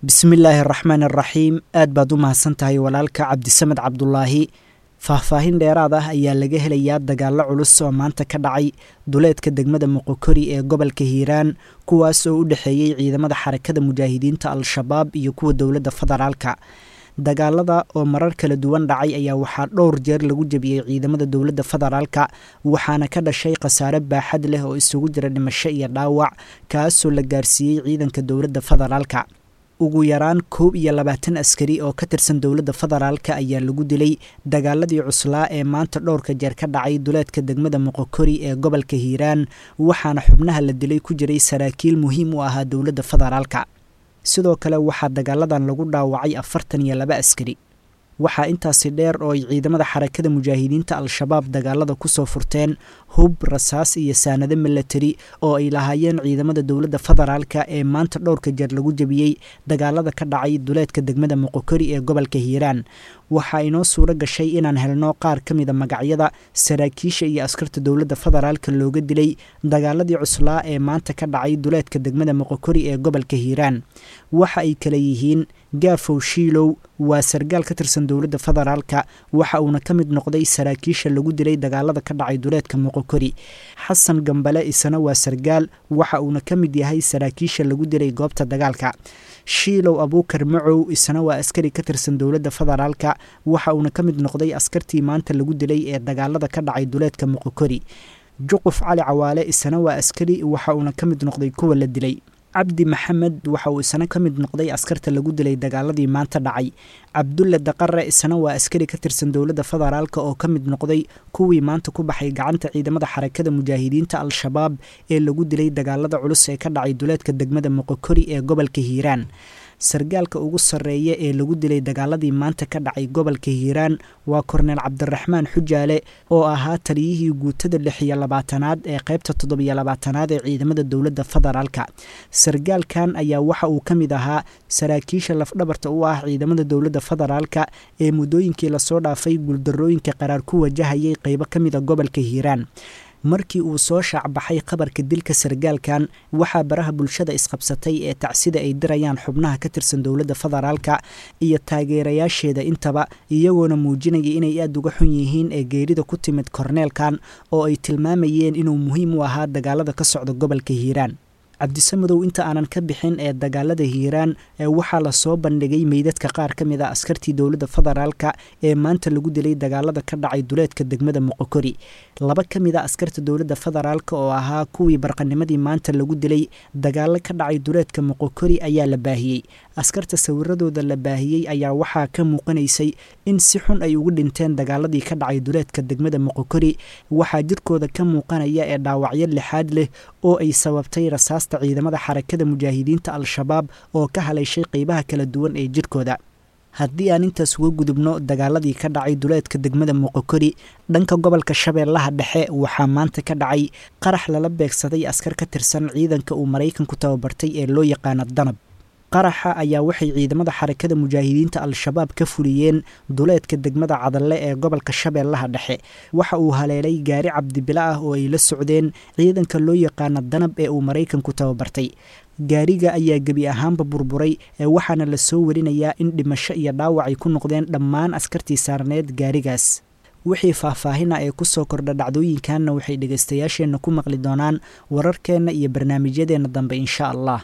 Bismillaahi araxmaan araxiim. Aad baad u mahadsan tahay walaalka Cabdisamed Cabdulaahi. Faahfaahin dheeraad ah ayaa laga helayaa dagaallo culus oo maanta ka dhacay duleedka degmada Moqokori ee gobolka Hiiraan, kuwaas oo u dhexeeyey ciidamada Xarakada Mujaahidiinta Al-Shabaab iyo kuwa dowladda federaalka. Dagaalada oo marar kala duwan dhacay ayaa waxaa dhowr jeer lagu jebiyey ciidamada dowladda federaalka, waxaana ka dhashay khasaare baaxad leh oo isugu jira dhimasho iyo dhaawac, kaasoo la gaarsiiyey ciidanka dowladda federaalka. Ugu yaraan 21 askari oo ka tirsan dowladda federaalka ayaa lagu dilay dagaaladii cuslaa ee maanta dhowrka jeer ka dhacay duleedka degmada Moqokori ee gobolka Hiiraan, waxaana xubnaha la dilay ku jiray saraakiil muhiim u ahaa dowladda federaalka. Sidoo kale waxaa dagaaladan lagu dhaawacay 42 askari. Waxaa intaasi dheer oo ay ciidamada Xarakada Mujaahidiinta Al-Shabaab dagaalada kusoo furteen hub, rasaas iyo saanado milatari oo ay lahaayeen ciidamada dowladda federaalka ee maanta dhowrka jeer lagu jebiyey dagaalada ka dhacay duleedka degmada Moqokori ee gobolka Hiiraan. Waxaa inoo suuro gashay inaan helno qaar ka mida magacyada saraakiisha iyo askarta dowladda federaalka looga dilay dagaaladii cuslaa ee maanta ka dhacay duleedka degmada Moqokori ee gobolka Hiiraan. Waxa ay kala yihiin: Gaafow Shiilow waa sargaal ka tirsan dowladda federaalka, waxa uuna ka mid noqday saraakiisha lagu dilay dagaalada ka dhacay duleedka Moqokori. Xasan Gambale isana waa sargaal, waxa uuna ka mid yahay saraakiisha lagu dilay goobta dagaalka. Shiilow Abuukar Macow isana waa askari ka tirsan dowladda federaalka, waxa uuna ka mid noqday askartii maanta lagu dilay ee dagaalada ka dhacay duleedka Moqokori. Juquf Cali Cawaale isana waa askari, waxa uuna ka mid noqday kuwa la dilay. Cabdi Maxamed waxa uu isana ka mid noqday askarta lagu dilay dagaaladii maanta dhacay. Cabdulle Daqare isana waa askari ka tirsan dowladda federaalka oo ka mid noqday kuwii maanta ku baxay gacanta ciidamada Xarakada Mujaahidiinta Al-Shabaab ee lagu dilay dagaalada culus ee ka dhacay duleedka degmada Moqokori ee gobolka Hiiraan. Sargaalka ugu sarreeya ee lagu dilay dagaaladii maanta ka dhacay gobolka Hiiraan waa Korneel Cabdiraxmaan Xujaale oo ahaa taliyihii guutada 26aad ee qaybta 27aad ee ciidamada dowladda federaalka. Sargaalkan ayaa waxa uu ka mid ahaa saraakiisha lafdhabarta u ah ciidamada dowladda federaalka ee muddooyinkii lasoo dhaafay guuldarrooyinka qaraar ku wajahayay qaybo ka mida gobolka Hiiraan. Markii uu soo shaacbaxay khabarka dilka sargaalkan, waxaa baraha bulshada isqabsatay ee tacsida ay dirayaan xubnaha ka tirsan dowladda federaalka iyo taageerayaasheeda intaba, iyagoona muujinaya inay aada uga xun yihiin ee geerida ku timid korneelkan oo ay tilmaamayeen inuu muhiim u ahaa dagaalada ka socda gobolka Hiiraan. Cabdisamudow, inta aanan ka bixin ee dagaalada Hiiraan, ee waxaa lasoo bandhigay meydadka qaar ka mid a askartii dowladda federaalka ee maanta lagu dilay dagaalada ka dhacay duleedka degmada Moqokori. Laba ka mid a askarta dowladda federaalka oo ahaa kuwii barqanimadii maanta lagu dilay dagaalo ka dhacay duleedka Moqokori ayaa la baahiyey. Askarta sawiradooda la baahiyey ayaa waxaa ka muuqanaysay in si xun ay ugu dhinteen dagaaladii ka dhacay duleedka degmada Moqokori. Waxaa jirkooda ka muuqanaya ee dhaawacyo lixaad leh oo ay sababtay rasaasta ciidamada Xarakada Mujaahidiinta Al-Shabaab oo ka haleeshay qeybaha kala duwan ee jirkooda. Haddii aan intaas uga gudubno dagaaladii ka dhacay duleedka degmada Moqokori, dhanka gobolka Shabeellaha Dhexe waxaa maanta ka dhacay qarax lala beegsaday askar ka tirsan ciidanka uu Maraykanku tababartay ee loo yaqaano Danab. Qaraxa ayaa waxay ciidamada Xarakada Mujaahidiinta Al-Shabaab ka fuliyeen duleedka degmada Cadalle ee gobolka Shabeellaha Dhexe. Waxa uu haleelay gaari cabdibilo ah oo ay la socdeen ciidanka loo yaqaano Danab ee uu Maraykanku tababartay. Gaariga ayaa gebi ahaanba burburay, ee waxaana la soo warinayaa in dhimasho iyo dhaawac ay ku noqdeen dhammaan askartii saarneed gaarigaas. Wixii faahfaahina ee kusoo kordha dhacdooyinkanna waxay dhegaystayaasheenna ku maqli doonaan wararkeenna iyo barnaamijyadeenna dambe, insha Allah.